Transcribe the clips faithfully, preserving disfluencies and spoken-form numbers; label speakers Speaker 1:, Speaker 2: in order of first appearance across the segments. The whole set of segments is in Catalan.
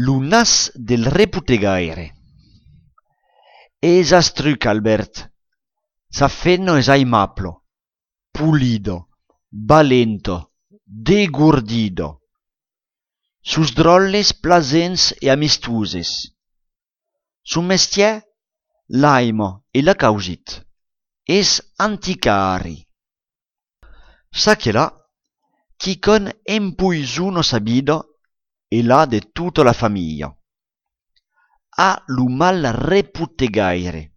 Speaker 1: Lunas del reputegaire. Esastruc, Albert. S'affenno es aimaplo, pulido, valento, degurdido. Sus drolles plasents e amistuses. Sun mestier, l'aimo e la causit. Es anticari. Sa che là, chi con empuisuno sabido e là de tutta la famiglia. Ha lu mal reputegaire.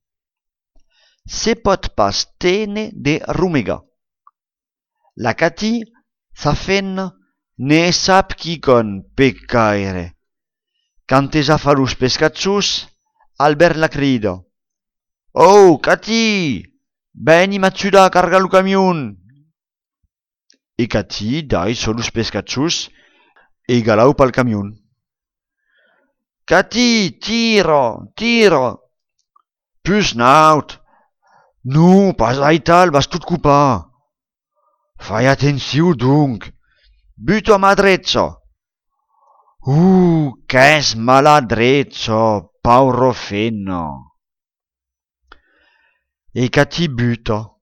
Speaker 1: Se pot pas tene de rumega. La Cati s'affenna ne sap chi con peccaire. Quand es a fa los pescatzus, Albert la crido. Oh, Cati, beni m'atsuda a cargar lu camion. E Cati dai so los pescatzus e galau pal camion. Cati, tiro, tiro. Pus naut. Nu, pas aital, vas tout cupar. Fai atențiu, donc. Buto a madrezzo. Uh, qu'es maladrezzo, pauro fenno. E Cati buto.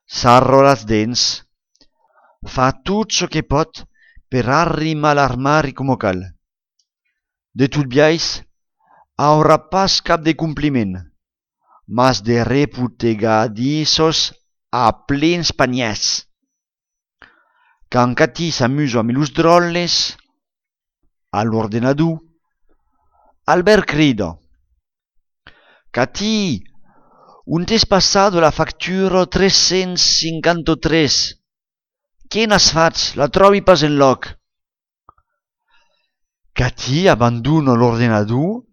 Speaker 1: Sarro las dents. Fa tot so che pot per arrimar l'armari como cal. De tout biais, aura pas cap de compliment, mas de reputegadissos a plens paniès. Quand Cati s'amuso amb los drolles, a l'ordenador, Albert crido. Cati, un t'es passado la factura trecents cinquanta-tres. Che n'has fatz? La trobi pas enlloc. Cati abandona l'ordenador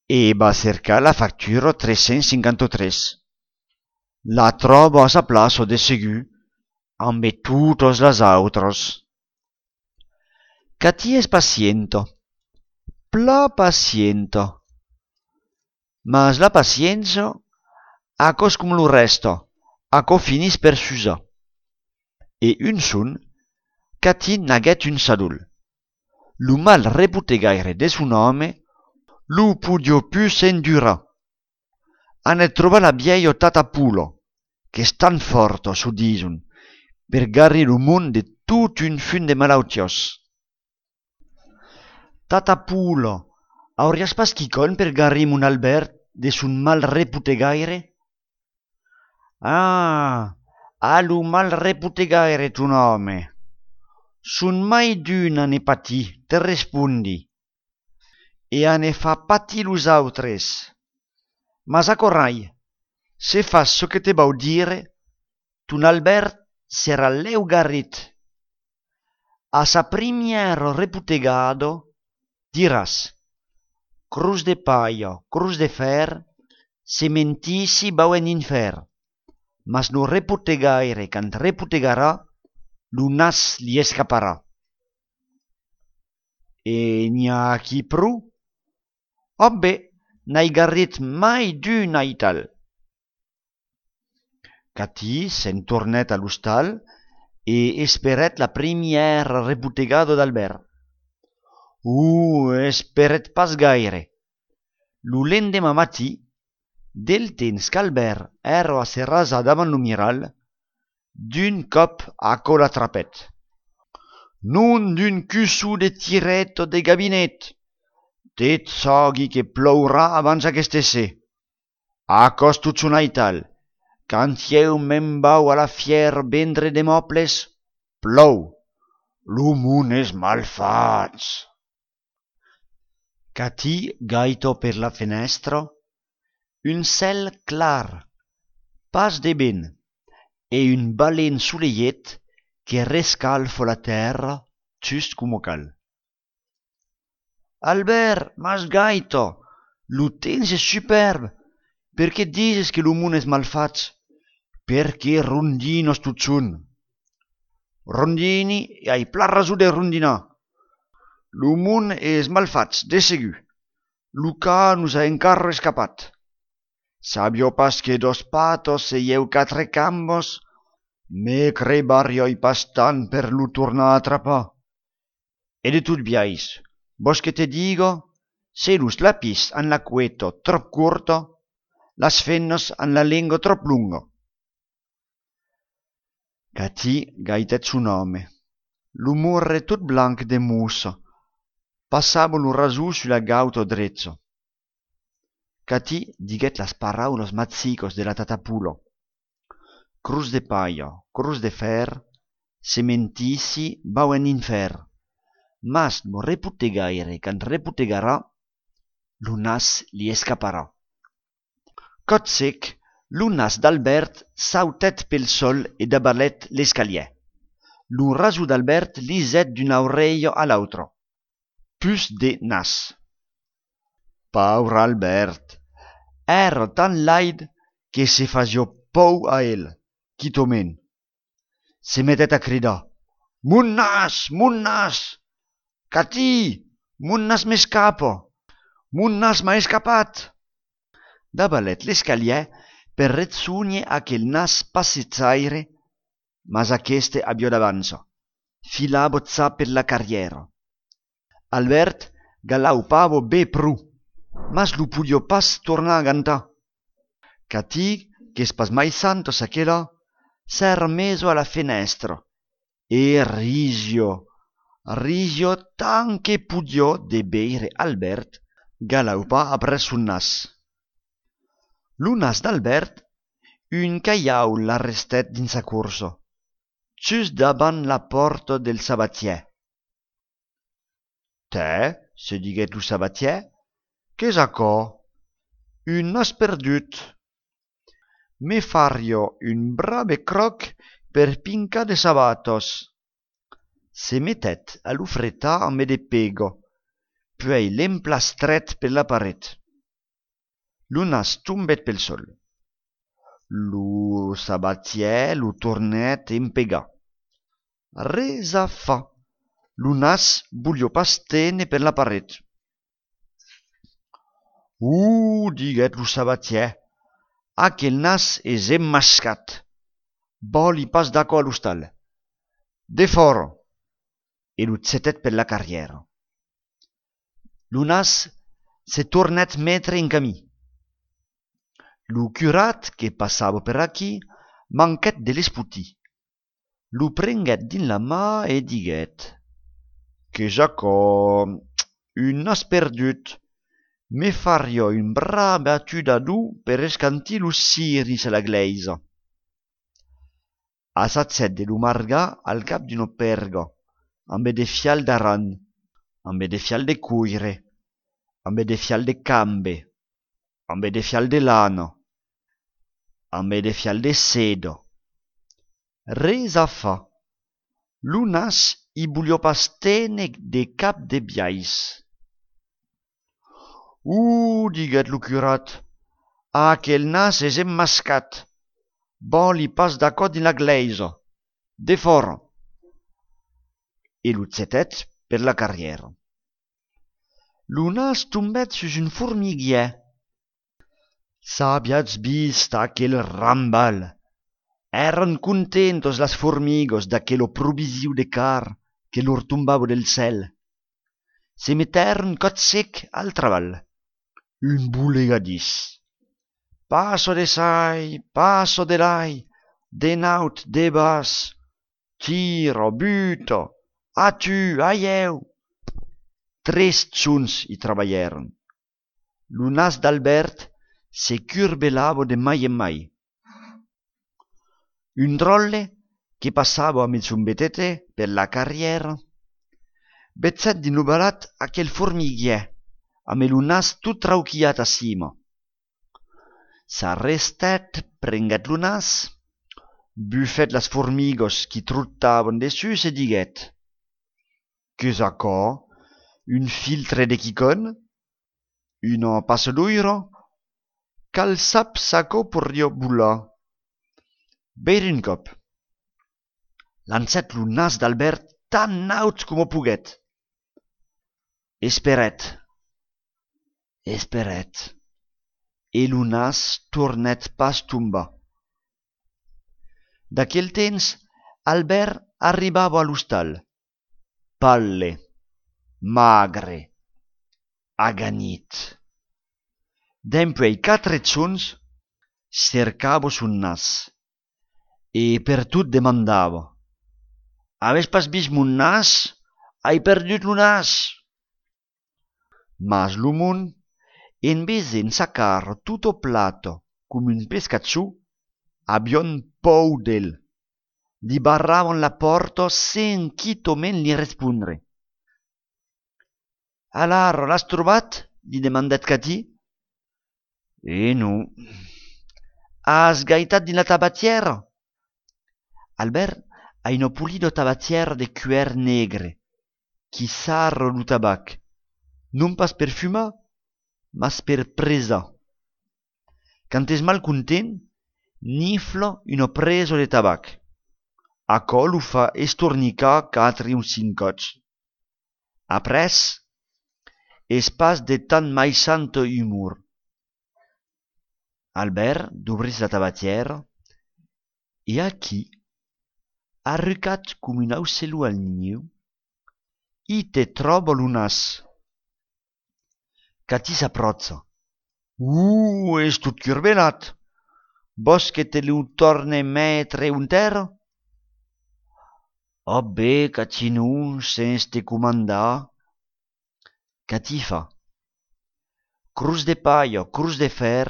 Speaker 1: e va cercar la factura trecents cinquanta-tres. La trobo a sa plaça de segur, amb totes les altres. Cati es paciento, pla paciento. Mas la pacienza, acos com lo resto, aco finis per s'usar. E un son, Cati n'aguet un sadul. Lu mal reputegaire de son home, lu podio pus endura. Ane troba la vieio Tatapulo, che è tan forto, so dison, per garri lu mund de tut un fun de malautios. Tatapulo, aurias pas chicon per garri mon Albert de son mal reputegaire? Ah, a lu mal reputegaire tu nome. Sun mai d'una ne pati, te respondi. E a ne fa pati los autres. Mas acorrai, se fas so che te bau dire, ton Albert sera leu garrit. A sa primiero reputegado diràs, cruz de paio, cruz de fer, se mentissi bau en infer, mas no reputegaire cant reputegarà, lu nas li escaparà. E n'hi ha qui pru? Oh bé, n'hai garrit mai d'un aital. Cati se'n tornet a l'hostal e esperet la primiera reputegado d'Albert. Uh, esperet pas gaire. Lu lendemà matí, del temps qu'Albert ero a se rasa davant lo miral, d'un cop aco l'atrapet. Non d'un cusso de tiretto de gabinet. Tet sogui que plourà abans aquest essè. Acos tot son aital. Quand ieu me'n bau a la fier vendre de mobles, plou. Lo mund és malfats. Cati gaito per la fenestra, un cel clar, pas de ben, e un balen soleiet que rescalfa la terra just como cal. Albert, mas gaito, lo temps és superb. Per què dices que lo mund és malfats? Perché rondinos tot són. Rondini e hai pla raso de rondinar. Lo mund és malfats, de segur. Lo ca nos ha encara escapat. Sabio pas que dos patos e ieu quatre cambos, me crebario i pas tant per lo tornar a atrapar. E de tot biais, vos que te digo, Selus lapis han la cueto trop curto, las fennos han la lingua trop lungo. Catí gaitet su nome. L'umorre tot blanc de musso. Passavo lu rasù sulla gauto drezzo. Catí diguet las paraulos mazzicos de la tatapulo. Cruz de paio, cruz de fer, sementici bau en infer. Mas no repute gaire, can reputegarà, lo nas li escaparà. Cot sec, lo nas d'Albert sautet pel sol e dabalet l'escalier. Lo raso d'Albert li zet d'un aureio a l'altro. Pus de nas. Pauvre Albert, era tan laid que se fazio pou a el, quitomen. Se mettet a cridar: Mon nas, mon nas! Catí, mon nas m'escapa! Mon nas m'ha escapat! Dabalet l'escalier per rezzugner aquel nas passezzaire, mas aqueste abbio d'avanzo. Filabo za per la carriera. Albert galaupavo be pru, mas lu pudio pas tornar a cantar. Catí, che spasmaissando s'achela, s'era meso alla finestra e risio, risio tan che pudio de beire Albert galaupa appresso un nas. Lu nas d'Albert un caiau l'arrestet dins sa curso, just daban la porta del sabatier. Te, se diguet lu sabatier, qu'es acò? Un nas perdut. Me fario un brave croc per pinca de sabatos. Se mettet a lu fretar a me de pego, puei l'emplastret per la paret. Lu nas tombet pel sol. Lu sabatier lu tornet empega. Resa fa. Lu nas bulio pas tene per la paret. Uh, diguet lu sabatier, aquel nas es emmascat. Boli pas d'aco a l'hostal. De fora. E lu zetet per la carriera. Lu nas se tornet metre in camí. Lu curat che passava per aquí manquet de l'esputi. Lu prenguet din la mà e diguet: Che j'acò, un nas perdut, me fario un brave atudadù per escanti lu siris a la gleisa. A s'azzet de lu margà al cap d'un perga, ambe de fial d'aran, ambe de fial de cuire, ambe de fial de cambe, ambe de fial de lana, ambe de fial de sedo. Resa fa. Lu nas i bulio pas tene de cap de biais. Uh, diguet lu curat, aquel nas es emmascat. Boli pas d'aco din la gleisa. De fora. E lu zetet per la carriera. Lu nas tombet sus un formiguier. S'abiatz vist aquel rambal. Eran contentos las formigos d'aquello provisiu de car che lor tumbavo del cel. Se metteron cot sec al treball. Un bulegadís. Passo de sai, passo de lai, de naut, de bas, tiro, buto, atu, aieu. Tres tzuns i treballeron. Lu nas d'Albert se curbelavo de mai en mai. Un drolle che passava a mezzumbetete per la carriera, bezzet di nubalat aquel formiguier, a me lu nas tut trauchiat a cima. S'arrestet, prenguet lu nas, buffet las formigos qui truttavan dessus e diguet: Qu'es acò? Un filtre de quicon? Una passaduira? Cal sap s'acò porrio bulla? Beir un cop. Lancet lu nas d'Albert tan naut como poguet. Esperet. Esperet. E lu nas tornet pas tomba. D'aquel temps, Albert arribava a l'hostal. Palle. Magre. aganit. Dempuèi quatre zons cercavo son nas e per tot demandava: «Aves pas vist mon nas? Ai perdut lo nas!» Mas lo mon, en vez d'ensacar tot o plato com un pescatxò, avion pou d'el. Li barravan la porta sen quitomen li respondre. «Alar, l'has trobat?» li demandat Catí. «Eh non. Has gaitat din la tabatièra?» Albert a una polida tabatièra de cuèr negre qui sarra lo tabac, non pas per fumar, mas per presar. Quand es mal content, nifla una presa de tabac. Aquò lo fa estornicar quatre o cinc cops. Après, es pas de tan maisant humor. Albert d'obris la tabatièra e aquí, arrucat com un aucelo al niu, i te troba lo nas. Catí s'apròcha. «Uh, és tot curvelat. Vos que te lo torne metre un terra?» «Oh bé, Catí non, sens te comandar.» Catí fa: «Cruz de paia, cruz de fer,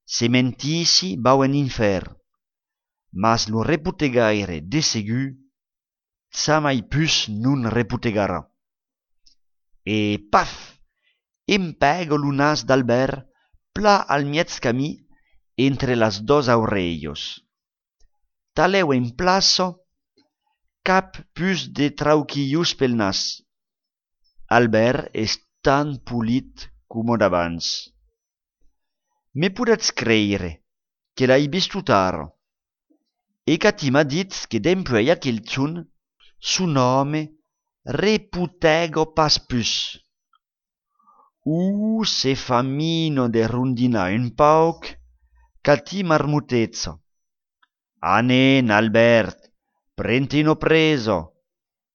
Speaker 1: se mentissi bau en infer, mas lo reputegaire de segur, ça mai pus non reputegara.» E paf! Empèga lo nas d'Albert pla al mièg camí entre las dos aurelhos. Talèu en plaça, cap pus de trauquilhos pel nas. Albert és tan polit coma d'abans. Me podetz creire que l'ai vist ara. E Catí m'a dit que dempuèi aquel zon son home reputega pas pus. Uh, se fa mino de rondinar un pauc, Catí marmotezza: «Anen, Albert, prenti una presa.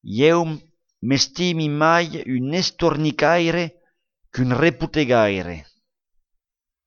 Speaker 1: Jeu m'estimi mai un estornicaire qu'un reputegaire.»